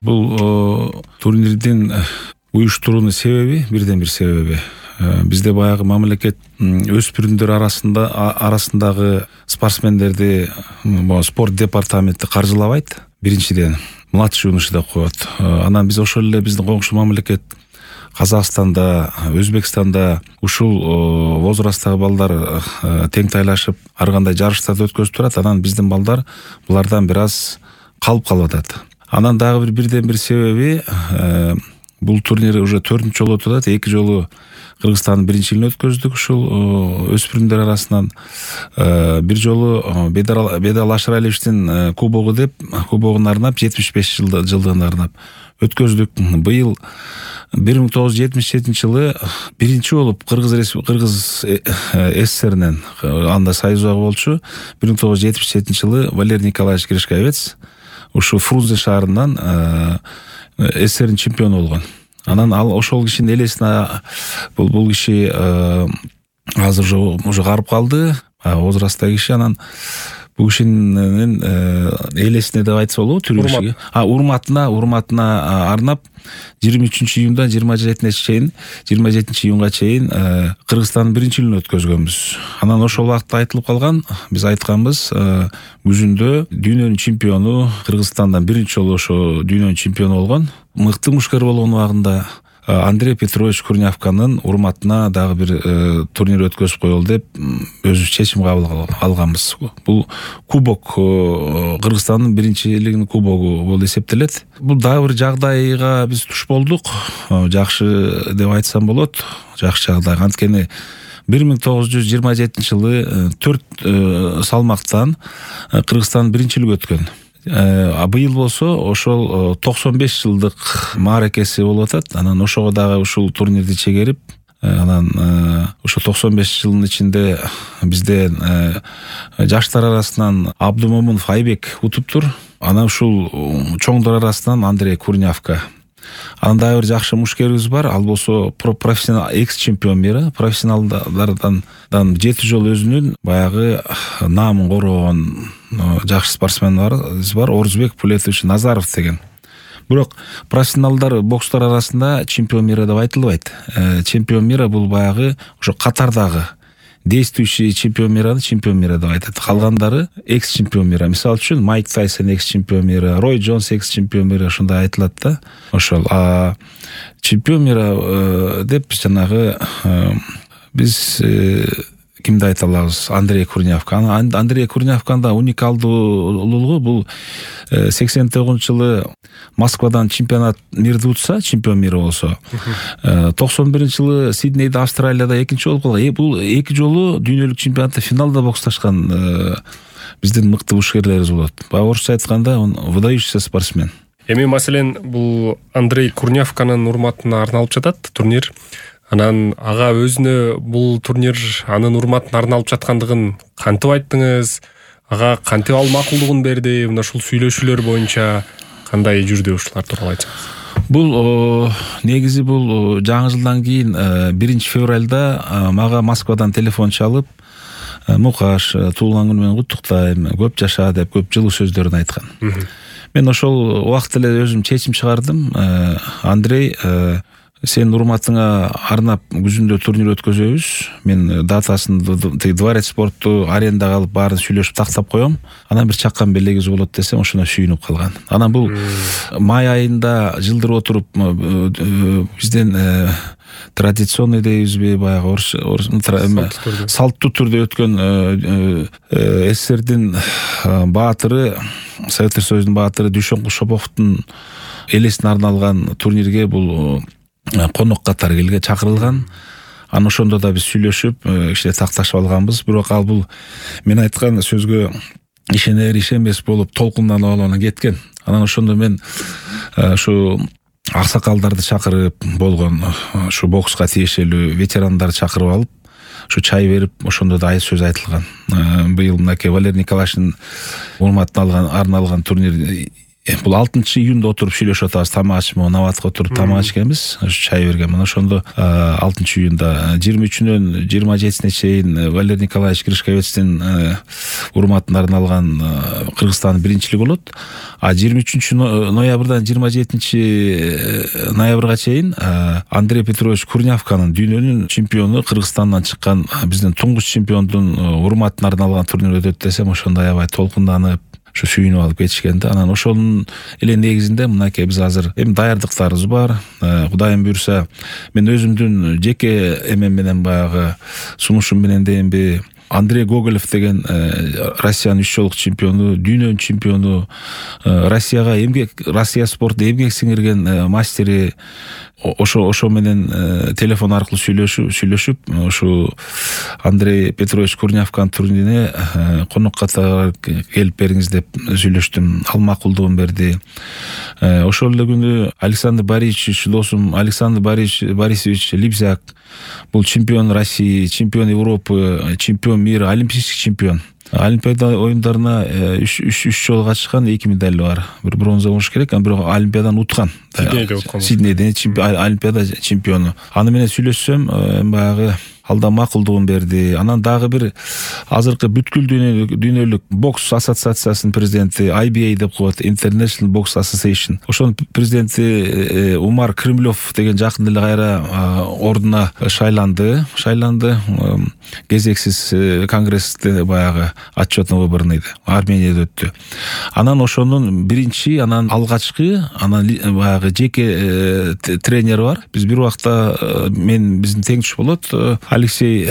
Бул турнирдин уюштуруунун себеби, бирден бир себеби бизде баягы мамлекет өспүрүмдөр арасындагы спортсмендерди спорт департаменти каржылабайт. Биринчиден младший юноша деп коет. Анан биз ошол эле биздин коңшу мамлекет Казакстанда, Өзбекстанда ушул возрасттагы балдар тең тайлашып ар кандай жарыштарды өткөзүп турат. Анан биздин балдар булардан бир аз калып калып атат. Анан дагы бирден бир себеби бул турнир уже 4-нчү жолу өтүп атат. 2 жолу Кыргызстандын биринчилигин өткөздүк ушул өспүрүмдөр арасынан. Бир жолу Бедал Ашыралиевичтин кубогу деп кубогун арнап 75 жылдыгын арнап өткөздүк. Быйыл 1977-жылы биринчи болуп Кыргыз СССРинен анда союзага болчу. 1977-жылы Валерий Николаевич Гришковец ушу Фрунзе шаарынан СССРдин чемпиону болгон. Анан ал ошол кишинин элесине бул киши азыр уже карып калды, возрасттагы киши. Анан бул кишинин элесине деп айтса болобу, түрүшүгө. Урматына арнап 23-июндан 27-июнга чейин Кыргызстандын биринчилигин өткөзгөнбүз. Анан ошол убакта айтылып калган, биз айтканбыз, күзүндө дүйнөнүн чемпиону Кыргызстандан биринчи жолу ошо дүйнөнүн чемпиону болгон, мыкты мушкер болгон убагында Андрей Петрович Курнявканын урматына дагы бир турнир өткөзүп коелу деп өзүбүз чечим кабыл алганбыз. Бул кубок Кыргызстандын биринчилигинин кубогу болуп эсептелет. Бул дагы бир жагдайга биз туш болдук. Жакшы деп айтсам болот. Жакшы жагдай. Анткени 1927-жылы 4 салмактан Кыргызстандын биринчилиги өткөн. Быйыл болсо ошол 95 жылдык мааракеси болуп атат. Анан ошого дагы ушул турнирди чегерип, анан ошо 95 жылдын ичинде бизден жаштар арасынан Абдумомунов Айбек утуптур. Анан ушул чоңдор арасынан Андрей Курнявка. Анан дагы бир жакшы мушкерибиз бар. Ал болсо профессионал экс-чемпион мира. Профессионалдардан 7 жол өзүнүн баягы наамын коргон жакшы спортсменибиз бар. Орузбек Пулетович Назаров деген. Бирок профессионалдар бокстор арасында чемпион мира деп айтылбайт. Чемпион мира бул баягы ошо катардагы действующий чемпион мира деп айтат. Калгандары экс-чемпион мира. Мисалы үчүн Майк Тайсон экс-чемпион мира, Рой Джонс экс-чемпион мира, ушундай айтылат да. Ошол чемпион мира деп жанагы биз кимди айта алабыз? Андрей Курнявка. Андрей Курнявканда уникалдуулугу бул 89-жылы Москвадан чемпионат мирди утса, чемпион мира болсо, 91-жылы Сиднейде, Австралияда экинчи болуп калган. Бул 2 жолу дүйнөлүк чемпионатта финалда боксташкан биздин мыкты мушкерлерибиз болот. Орусча айтканда, он выдающийся спортсмен. Эми маселен бул Андрей Курнявканын урматына арналып жатат турнир. Анан ага өзүнө бул турнир анын урматына арналып жаткандыгын кантип айттыңыз? Ага кантип ал макулдугун берди? Мына ушул сүйлөшүүлөр боюнча кандай жүрдү, ушулар тууралуу айтсаңыз. Бул негизи бул жаңы жылдан кийин 1-февралда мага Москвадан телефон чалып, Мукаш, туулган күнү менен куттуктайм, көп жаша деп көп жылуу сөздөрүн айткан. Мен ошол убакта эле өзүм чечим чыгардым. Андрей, сенин урматыңа арнап күзүндө турнир өткөзөбүз. Мен датасын Дворец спортту арендага алып баарын сүйлөшүп тактап коем. Анан бир чаккан белегибиз болот десем, ошондо сүйүнүп калган. Анан бул май айында жылдыр отуруп бизден традиционный дейбизби, баягы салттуу түрдө өткөн СССРдин баатыры, Советтер Союзунун баатыры Дүйшөнкул Шоповдун элесине арналган турнирге бул конок катары чакырылган. Анан ошондо да биз сүйлөшүп, кичине такташып алганбыз. Бирок ал бул мен айткан сөзгө ишенер ишенбес болуп толкунданып кеткен. Анан ошондо мен ушу аксакалдарды чакырып болгон, ушу бокска тиешелүү ветерандарды чакырып алып, ушу чай берип, ошондо да сөз айтылган. Быйыл мынакей Валерий Николаевичтин урматына арналган турнир бул 6-июнда отуруп сүйлөшүп атабыз. Тамак ичип, наватка отуруп тамак ичкенбиз, чай берген. Мына ошондо 6-июнда 23-үнөн 27-сине чейин Валерий Николаевич Гришковецтин урматына арналган Кыргызстандын биринчилиги болот. А 23 ноябрдан 27 ноябрга чейин Андрей Петрович Курнявканын дүйнөнүн чемпиону, Кыргызстандан чыккан биздин туңгуч чемпиондун урматына арналган турнир өтөт десем, ошондо аябай толкунданып, ушу сүйүнүп алып кетишкен да. Анан ошонун эле негизинде мынакей биз азыр эми даярдыктарыбыз бар. Кудайым буйрса, мен өзүмдүн жеке эмем менен баягы сунушум менен дейинби Андрей Гоголев деген Россиянын 3 жолку чемпиону, дүйнөнүн чемпиону, Россия спорту эмгек сиңирген мастери, ошо менен телефон аркылуу сүйлөшүп, ушу Андрей Петрович Курнявканын турнирине конок катары келип бериңиз деп сүйлөштүм. Ал макулдугун берди. Ошол эле күнү Александр Борисович, досум Александр Борисович Либзяк, бул чемпион России, чемпион Европы, чемпион мира, олимпийский чемпион. Олимпиада оюндарына 3 жолу катышкан, 2 медали бар. Бир бронза болуш керек, анан бирок Олимпиадан уткан. Сиднейде Олимпиада чемпиону. Аны менен сүйлөшсөм, баягы алда макулдугун берди. Анан дагы бир азыркы бүткүл дүйнөлүк бокс ассоциациясынын президенти, IBA деп коет, International Box Association. Ошонун президенти Умар Кремлев деген жакында эле кайра ордуна шайланды. Кезексиз конгрессте баягы отчетный выборный Арменияда өттү. Анан ошонун биринчи, анан алгачкы, анан баягы жеке тренери бар. Биз бир убакта биздин теңдеш болот, Алексей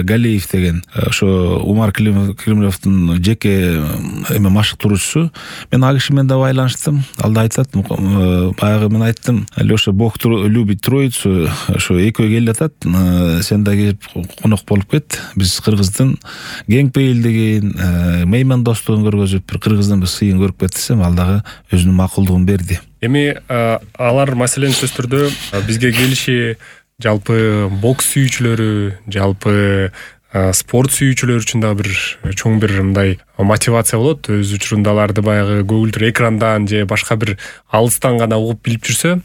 Галеев деген, ошо Умар Кремлевдин жеке машыктыруучусу. Мен ал киши менен да байланыштым. Ал да айтат, баягы мен айттым, Леша Бог любит троицу, ошо экөө келип атат, сен да келип конок болуп кет. Биз кыргыздын кеңпейилдигин, меймандостугун көргөзүп, бир кыргыздын бир сыйын көрүп кет десем, ал дагы өзүнүн макулдугун берди. Эми алар маселени сөз түрдө бизге келиши жалпы бокс сүйүүчүлөрү, жалпы спорт сүйүүчүлөр үчүн да бир чоң бир мындай мотивация болот. Өз учурунда аларды баягы көгүлдүр экрандан же башка бир алыстан гана угуп билип жүрсө,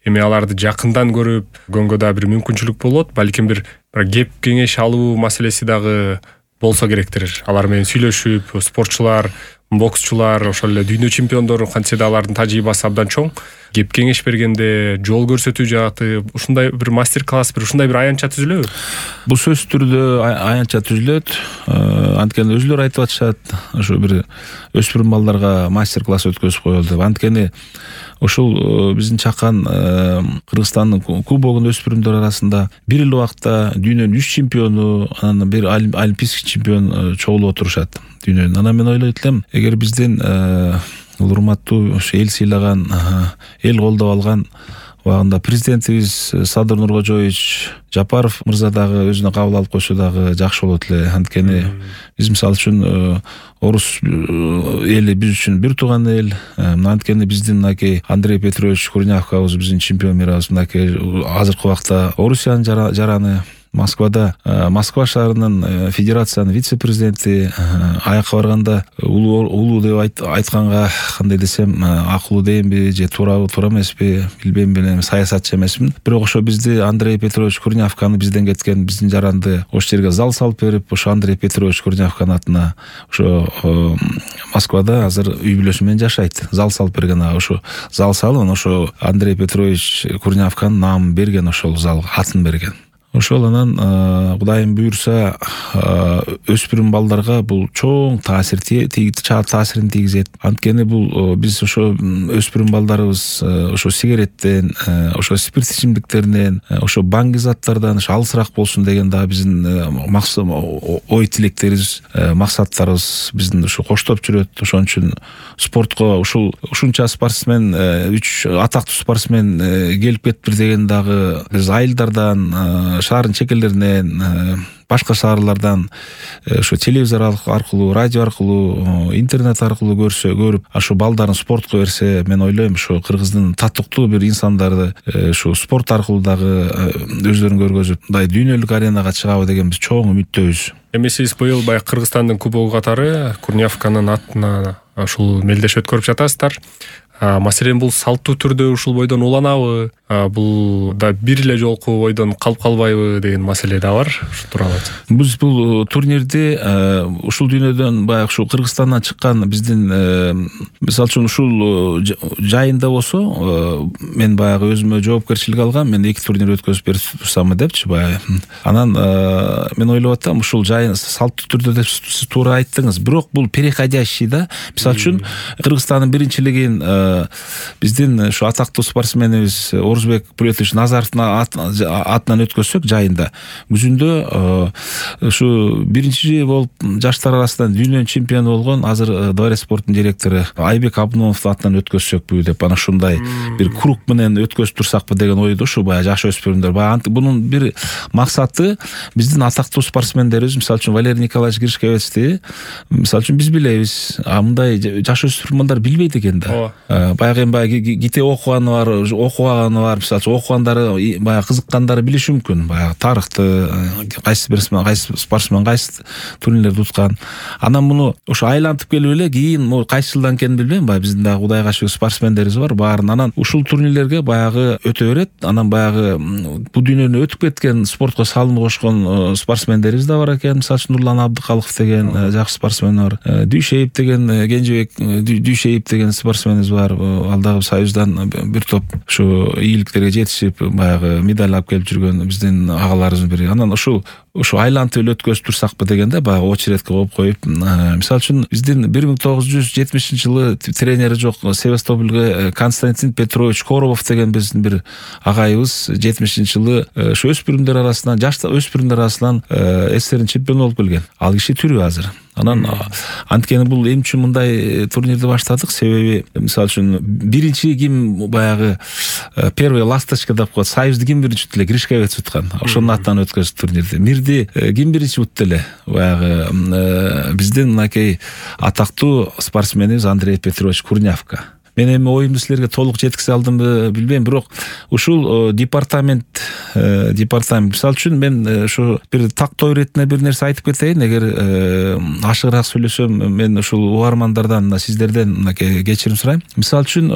эми аларды жакындан көрүп көргөнгө да бир мүмкүнчүлүк болот. Балким бир кеп кеңеш алуу маселеси дагы болсо керектир. Алар менен сүйлөшүп, спортчулар, боксчулар, ошол эле дүйнө чемпиондору кантсе да алардын тажрыйбасы абдан чоң. Кеп кеңеш бергенде, жол көрсөтүү жааты, ушундай бир мастер-класс, ушундай бир аянтча түзүлөбү? Бул сөзсүз түрдө аянтча түзүлөт. Анткени өзүлөр айтып атышат, ошо бир өспүрүм балдарга мастер-класс өткөзүп коелу деп. Анткени ошол биздин чакан Кыргызстандын кубогун өспүрүмдөр арасында бир эле убакта дүйнөнүн 3 чемпиону, анан бир олимпийский чемпион чогулуп отурушат дүйнөнүн. Анан мен ойлойт элем, эгер биздин урматтуу эл сыйлаган, эл колдоп алган убагында президентибиз Садыр Нуркожоевич Жапаров мырза дагы өзүнө кабыл алып койсо дагы жакшы болот эле. Анткени биз мисалы үчүн орус эли биз үчүн бир тууган эл. Анткени биздин мынакей Андрей Петрович Курнявкабыз, биздин чемпион мирабыз, мынакей азыркы убакта Орусиянын жараны. Москвада, Москва шаарынын федерациянын вице-президенти, аякка барганда улуу деп айтканга кандай десем, акылуу дейинби же туура эмеспи билбейм, мен саясатчы эмесмин. Бирок ошо бизди Андрей Петрович Курнявканы бизден кеткен биздин жаранды ошол жерге зал салып берип, ошо Андрей Петрович Курнявканын атына ошо Москвада азыр үй бүлөсү менен жашайт. Зал салып берген, ошо зал салып, ошо Андрей Петрович Курнявканын наамын берген, ошол зал атын берген. Ошол анан Кудайым буйрса өспүрүм балдарга бул чоң таасирин тийгизет. Анткени бул биз ошо өспүрүм балдарыбыз ошо сигареттен, ошо спирт ичимдиктеринен, ошо баңги заттардан алысыраак болсун деген да биздин максат, ой тилектерибиз, максаттарыбыз биздин ушу коштоп жүрөт. Ошон үчүн спортко ушунча спортсмен, 3 атактуу спортсмен келип кетти деген дагы биз айылдардан, шаардын чекелеринен, башка шаарлардан ошо телевизор аркылуу, радио аркылуу, интернет аркылуу көрүп, ошо балдарын спортко берсе, мен ойлойм, ошо кыргыздын татыктуу бир инсандарды ошо спорт аркылуу дагы өздөрүн көргөзүп, мындай дүйнөлүк аренага чыгабы деген биз чоң үмүттөбүз. Эми сиз быйыл баягы Кыргызстандын кубогу катары Курнявканын атына ушул мелдеш өткөрүп жатасыздар. Маселен, бул салттуу түрдө ушул бойдон уланабы? бул да бир эле жолку ойдон калып калбайбы деген маселе да бар. Ушул тууралуу айтсаңыз. Биз бул турнирди ушул дүйнөдөн баягы ушу Кыргызстандан чыккан биздин мисалы үчүн ушул жайында болсо мен баягы өзүмө жоопкерчилик алгам, мен 2 турнир өткөзүп берип турсамбы депчи баягы. Анан мен ойлоп атам, ушул жайын салттуу түрдө деп сиз туура айттыңыз. Бирок бул переходящий да. Мисалы үчүн Кыргызстандын биринчилигин биздин ушу атактуу спортсменибиз Орузбек Булетович Назаровдун атынан өткөзсөк жайында, күзүндө ушу биринчи болуп жаштар арасынан дүйнөнүн чемпиону болгон азыр Дворец спорттун директору Айбек Абдымовдун атынан өткөзсөкпү деп ana ушундай бир круг менен өткөзүп турсакпы деген ойдо ушу баягы жаш өспүрүмдөр. Баягы бунун бир максаты биздин атактуу спортсмендерибиз, мисалы үчүн Валерий Николаевич Гришковецти мисалы үчүн биз билебиз, мындай жаш өспүрүмдөр билбейт экен да. Баягы баягы ките окуганы бар, окубаганы бар, мисалы үчүн окугандары баягы кызыккандары билиши мүмкүн. Баягы тарыхты кайсы спортсмен кайсы турнирлерди уткан. Анан муну ушу айлантып келип эле кийин кайсы жылдан экенин билбейм, баягы биздин дагы Кудайга шүгүр спортсмендерибиз бар, баарын анан ушул турнирлерге баягы өтө берет. Анан баягы бул дүйнөнү өтүп кеткен спортко салым кошкон спортсмендерибиз да бар экен. Мисалы үчүн Нурлан Абдыкалыков деген жакшы спортсмен бар. Дүйшеев деген Кенжебек Дүйшеев деген спортсменибиз бар. Ал дагы союздан бир топ ушу ийгиликтерге жетишип баягы медаль алып келип жүргөн биздин агаларыбыздын бири. Анан ушу айлантып эле өткөзүп турсакпы дегенде баягы очередке коюп мисалы үчүн биздин 1970-жылы тренери жок Севастопольге Константин Петрович Коробов деген биздин бир агайыбыз 70-жылы ушу өспүрүмдөр арасынан, жаш өспүрүмдөр арасынан СССРдин чемпиону болуп келген. Ал киши тирүү азыр. Анан анткени бул эмне үчүн мындай турнирди баштадык? Себеби мисалы үчүн биринчи ким баягы первый ласточка деп коет. Союзду ким биринчи утты эле? Гришковец уткан. Ошонун атынан өткөздүк турнирди. Мирди ким биринчи утты эле? Баягы биздин мынакей атактуу спортсменибиз Андрей Петрович Курнявка. Мен эми оюмду силерге толук жеткизе алдымбы билбейм, бирок ушул департамент мисалы үчүн мен ушу бир тактоо иретине бир нерсе айтып кетейин. Эгер ашыгыраак сөйлөсөм, мен ушул угармандардан, сиздерден мынакей кечирим сурайм. Мисалы үчүн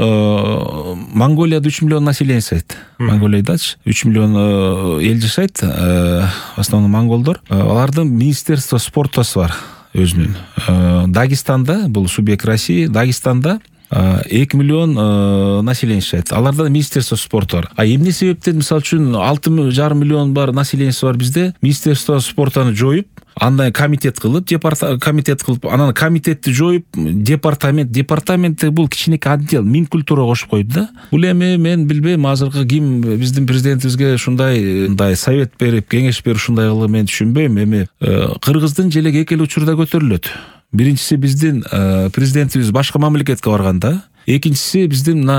Монголияда 3 миллион население жашайт. Монголиядачы 3 миллион эл жашайт, в основном монголдор. Алардын министерство спортосу бар өзүнүн. Дагестанда, бул субъект России, Дагестанда 2 миллион население жашайт. Аларда министерство спорту бар. Эмне себептен мисалы үчүн 6,5 миллион бар населениеси бар бизде? Министерство спортуну жоюп, андай комитет кылып, анан комитетти жоюп, департаментте бул кичинекей отдел Минкультура кошуп койду да. Бул эми мен билбейм, азыркы ким биздин президентибизге ушундай совет берип, кеңеш берип ушундай кылды, мен түшүнбөйм. Эми Кыргыздын желеги эки эле учурда көтөрүлөт. Биринчиси биздин президентибиз башка мамлекетке барганда, экинчиси биздин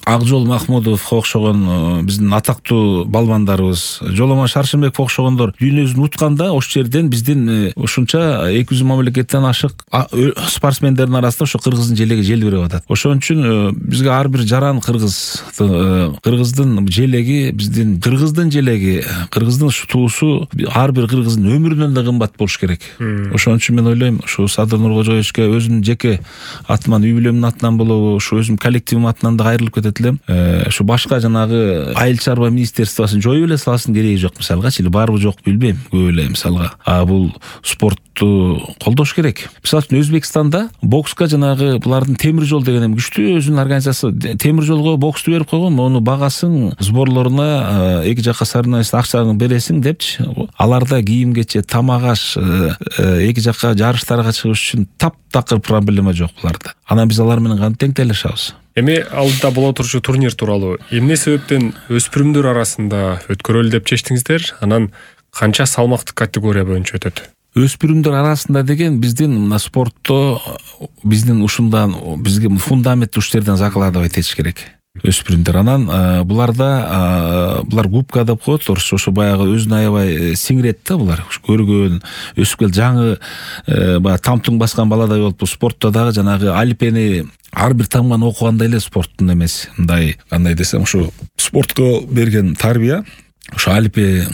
Акжол Махмудов окшогон биздин атактуу балбандарыбыз, Жоломон Шаршембеков окшогондор дүйнөсүн утканда, ошол жерден биздин ушунча 200 мамлекеттен ашык спортсмендердин арасында ошо Кыргыздын желеги желбиреп атат. Ошон үчүн бизге ар бир жаран Кыргыздын желеги, биздин Кыргыздын желеги, Кыргыздын туусу ар бир кыргыздын өмүрүнөн да кымбат болуш керек. Ошон үчүн мен ойлойм, ушу Садыр Нуркожоевичке өзүмдүн жеке атыман, үй бүлөмдүн атынан болобу, ушу өзүм коллективим атынан да кайрылып кетет. Ушу башка жанагы айыл чарба министерствосын жоюп эле салсын, кереги жок мисалгачы, или барбы жок билбейм, көп эле мисалга. Бул спортту колдош керек. Мисалы үчүн Өзбекстанда бокска жанагы булардын темир жол деген күчтүү өзүнүн организациясы, темир жолго боксту берип койгон, ону багасың, сборлоруна эки жакка соревнованиясына акчаны бересиң депчи. Аларда кийим кечет, тамак аш, эки жакка жарыштарга чыгыш үчүн таптакыр проблема жок буларда. Анан биз алар менен кантип тең тейлешабыз? Эми алдыда боло турчу турнир тууралуу эмне себептен өспүрүмдөр арасында өткөрөлү деп чечтиңиздер? Анан канча салмактык категория боюнча өтөт? Өспүрүмдөр арасында деген биздин мына спортто биздин ушундан бизге фундамент уштерден закладывать этиш керек. Өспүрүмдөр анан булар губка деп коет, ошо баягы өзүнө аябай сиңирет да булар. Көргөн, өсүп кел жаңы баягы тамтың баскан баладай болуп, спортто дагы жанагы алипени ар бир тамганы окугандай эле спорттун эмеси. Мындай кандай десем, ушу спортко берген тарбия ошо алипе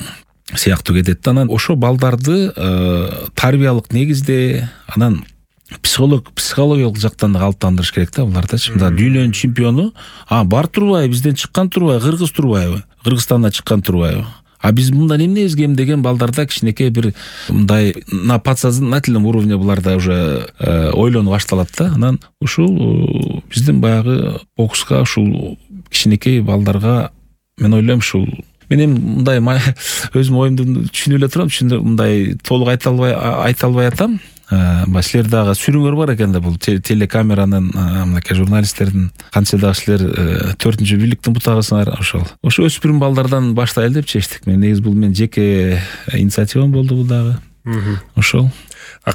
сыяктуу кетет. Анан ошо балдарды тарбиялык негизде, анан психологиялык жактан да калыптандырыш керек да булардачы. Мында дүйнөнүн чемпиону бар турбайбы, бизден чыккан турбайбы, кыргыз турбайбы, Кыргызстандан чыккан турбайбы. Биз мындан эмнебиз кем деген балдарда кичинекей бир мындай на подсознательном уровне буларда уже ойлонуп башталат да. Анан ушул биздин баягы бокска ушул кичинекей балдарга мен ойлойм ушул мен эми мындай өзүм оюмду түшүнүп эле турам, мындай толук айта албай атам. Силер дагы сүрүңөр бар экен да бул телекамеранын, мынакей журналисттердин канча дагы силер 4-чү бийликтин бутагысыңар. Ошо өспүрүм балдардан баштайлы деп чечтик. Мен негизи бул менин жеке инициативам болду бул дагы. Ошол.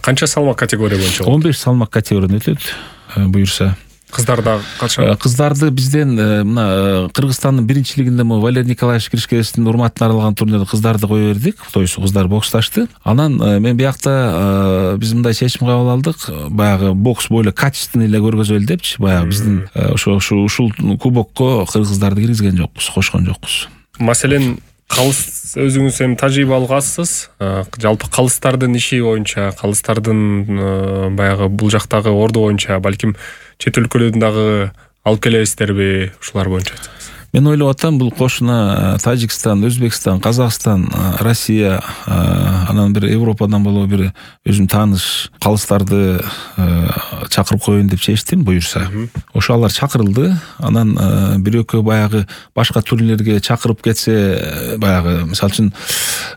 Канча салмак категория боюнча? 15 салмак категориядан өтөт буюрса. Кыздарда канча? Кыздарды бизден мына Кыргызстандын биринчилигинде Валерий Николаевич Кришкевичтин урматына арналган турнирде кыздарды кое бердик. Тоюсу кыздар боксташты. Анан мен биякта биз мындай чечим кабыл алдык. Баягы бокс бойло качественный эле көргөзөлү депчи. Баягы биздин ушул кубокко кыргыздарды киргизген жокпуз, кошкон жокпуз. Маселен, калыс өзүңүз эми тажрыйбалык азсыз. Жалпы калыстардын иши боюнча, калыстардын баягы бул жактагы орду боюнча балким чет өлкөлөрдөн дагы алып келебиздерби, ушулар боюнча айтсаңыз? Мен ойлоп атам, бул кошуна Тажикстан, Өзбекстан, Казакстан, Россия, анан бир Европадан болобу бир өзүм тааныш калыстарды чакырып коеюн деп чечтим буюрса. Ошо алар чакырылды. Анан бир экөө баягы башка турнирлерге чакырып кетсе, баягы мисалы үчүн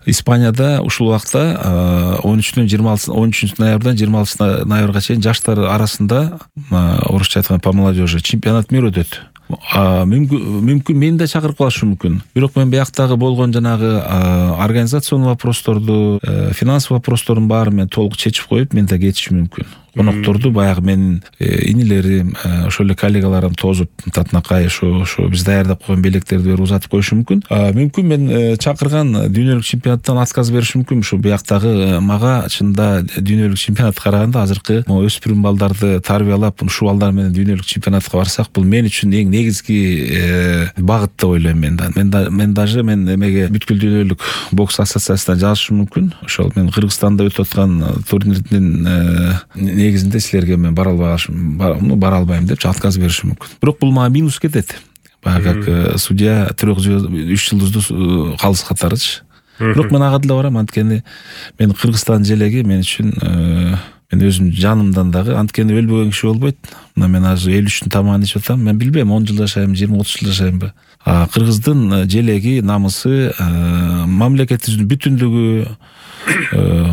Испанияда ушул убакта 13 ноябрдан 26 ноябрга чейин жаштар арасында, орусча айтканда по молодежи, чемпионат мира өтөт. Мүмкүн мени да чакырып калышы мүмкүн. Бирок мен бияктагы болгон жанагы организационный вопросторду, финансовый вопростордун баарын мен толук чечип коюп, мен да кетишим мүмкүн. Конокторду баягы менин инилерим, ошол эле коллегаларым тозуп татынакай ошо биз даярдап койгон белектерди берип узатып коюшу мүмкүн. Мүмкүн мен чакырган дүйнөлүк чемпионаттан отказ беришим мүмкүн. Ошо бияктагы мага чында дүйнөлүк чемпионатка караганда азыркы өспүрүм балдарды тарбиялап, ушул балдар менен дүйнөлүк чемпионатка барсак, бул мен үчүн эң негизги багыт деп ойлойм мен да. Мен даже эмеге бүткүл дүйнөлүк бокс ассоциациясына жазышым мүмкүн. Ошол мен Кыргызстанда өтүп аткан турнирдин негизинде силерге мен бара албайм деп отказ беришим мүмкүн. Бирок бул мага минус кетет. Баягы как судья 3 жылдыздуу калыс катарычы. Бирок мен ага деле барам, анткени мен Кыргызстан желеги мен үчүн мен өзүм жанымдан дагы, анткени өлбөгөн киши болбойт. Мына мен азыр 53-түн тамагын ичип атам. Мен билбейм 10 жыл жашайм, 20-30 жыл жашаймбы. Кыргыздын желеги, намысы, мамлекетибиздин бүтүндүгү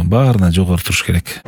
баарынан жогору туруш керек.